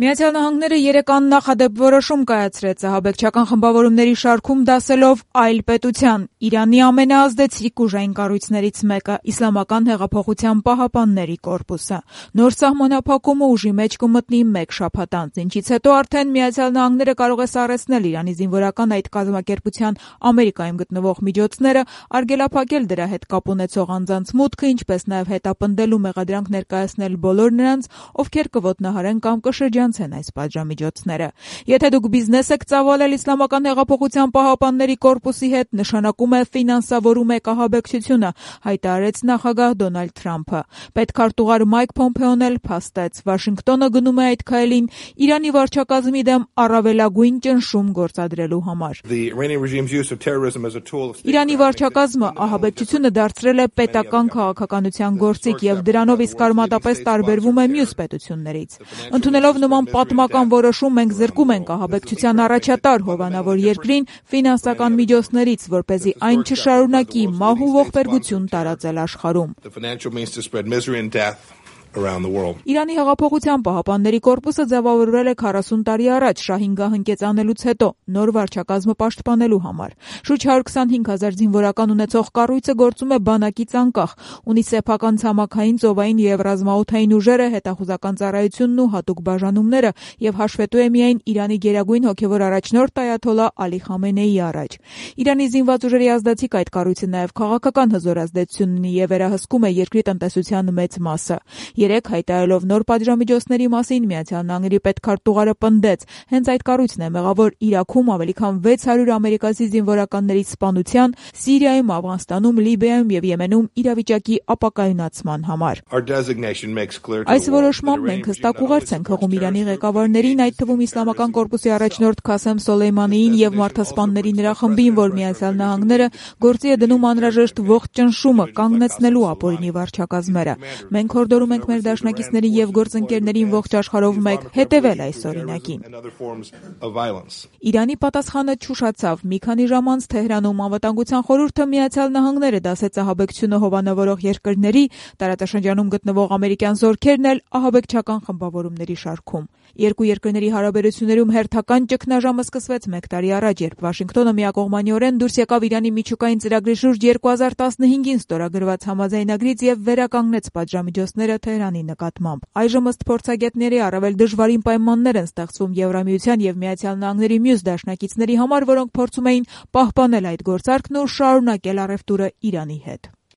Միացյալ Նահանգները երեկ աննախադեպ որոշում կայացրեց ահաբեկչական խմբավորումների շարքում դասելով այլ պետության՝ Իրանի ամենաազդեցիկ ուժային կառույցներից մեկը՝ Իսլամական հեղափոխության պահապանների կորպուսը։ Նոր սահմանափակումը ուժի մեջ կմտնի մեկ շաբաթ անց, ինչից հետո արդեն Միացյալ Նահանգները կարող է սառեցնել Իրանի զինվորական այդ կազմակերպության Ամերիկայում գտնվող միջոցները, արգելափակել դրա հետ կապ ունեցող անձանց մուտքը, ինչպես նաև հետապնդել ու մեղադրանք ներկայացնել բոլոր նրանց, ովքեր կոտնահարեն կամ կշրջանցեն այս պատժամիջոցները։ Եթե դուք բիզնես եք ծավալել Իսլամական հեղափոխության պահապանների կորպուսի հետ, նշանակում է ֆինանսավորում եք ահաբեկչությունը, հայտարարեց նախագահ Դոնալդ Թրամփը։ Պետքարտուղար Մայք Փոմփեոն էլ փաստեց, Վաշինգտոնը գնում է այդ քայլին Իրանի վարչակազմի դեմ առավելագույն ճնշում գործադրելու համար։ Իրանի վարչակազմը ահաբեկչությունը դարձրել է պետական քաղաքականության գործիք եւ դրանով իսկ արմատապես տարբերվում է մյուս պետություններից։ Ընդունելով նման պատմական որոշում, մենք զրկում ենք ահաբեկչության առաջատար հովանավոր երկրին ֆինանսական միջոցներից, որպեսզի այն չշարունակի մահ ու ողբերգություն տարածել աշխարհում։ Իրանի հեղափոխության պահապանների կորպուսը ձևավորվել է 40 տարի առաջ շահինգահ հնկեցանելուց հետո նոր վարչակազմը պաշտպանելու համար։ Շուրջ 125,000 զինվորական ունեցող կառույցը գործում է բանակից անկախ, ունի սեփական ցամաքային, ծովային եւ ռազմաօդային ուժերը, հետախուզական ծառայությունն ու հատուկ բաժանումները եւ հաշվետու է միայն Իրանի գերագույն հոգեվոր առաջնորդ այաթոլլահ Ալի Խամենեիի առաջ։ Իրանի զինված ուժերի ազդեցիկ այդ կառույցը նաեւ քաղաքական հզոր ազդեցություն ունի եւ վերահսկում է երկրի տնտեսության մեծ մասը։ Երեկ հայտարարելով նոր պատժամիջոցների մասին Միացյալ Նահանգների պետքարտուղարը պնդեց, հենց այդ կառույցն է մեղավոր Իրաքում ավելի քան 600 ամերիկացի զինվորականների սպանության, Սիրիայում, Աֆղանստանում, Լիբիայում եւ Եմենում իրավիճակի ապակայունացման համար։ Այս որոշմամբ մենք հստակ ուղերձ ենք հղում Իրանի ղեկավարներին, այդ թվում Իսլամական կորպուսի առաջնորդ Քասեմ Սոլեյմանիին եւ մարդասպանների նրա խմբին, որ Միացյալ Նահանգները գործի է դնում անհրաժեշտ ողջ ճնշումը կանգնեցնելու ապօրինի վարչակազմերը։ Մենք հորդորում ենք մեր դաշնակիցներին եւ գործընկերներին ողջ աշխարհով մեկ հետեւել այս օրինակին։ Իրանի պատասխանը չուշացավ։ Մի քանի ժամ անց Թեհրանում Անվտանգության խորհուրդը Միացյալ Նահանգները դասեց ահաբեկչությունը հովանավորող երկրների, տարածաշրջանում գտնվող ամերիկյան զորքերն էլ ահաբեկչական խմբավորումների շարքում։ Երկու երկրների հարաբերություններում հերթական ճգնաժամը սկսվեց 1 տարի առաջ, երբ Վաշինգտոնը միակողմանիորեն դուրս եկավ Իրանի միջուկային ծրագրի շուրջ 2015-ին ստորագրված համաձայնագրից եւ վերականգնեց պատժամիջոցները Թեհրանի նկատմամբ։ Այժմ ըստ փորձագետների առավել դժվարին պայմաններ են ստեղծվում Եվրամիության եւ Միացյալ Նահանգների մյուս դաշնակիցների համար, որոնք փորձում էին պահպանել այդ գործարքն ու շարունակել առևտուրը Իրանի հետ։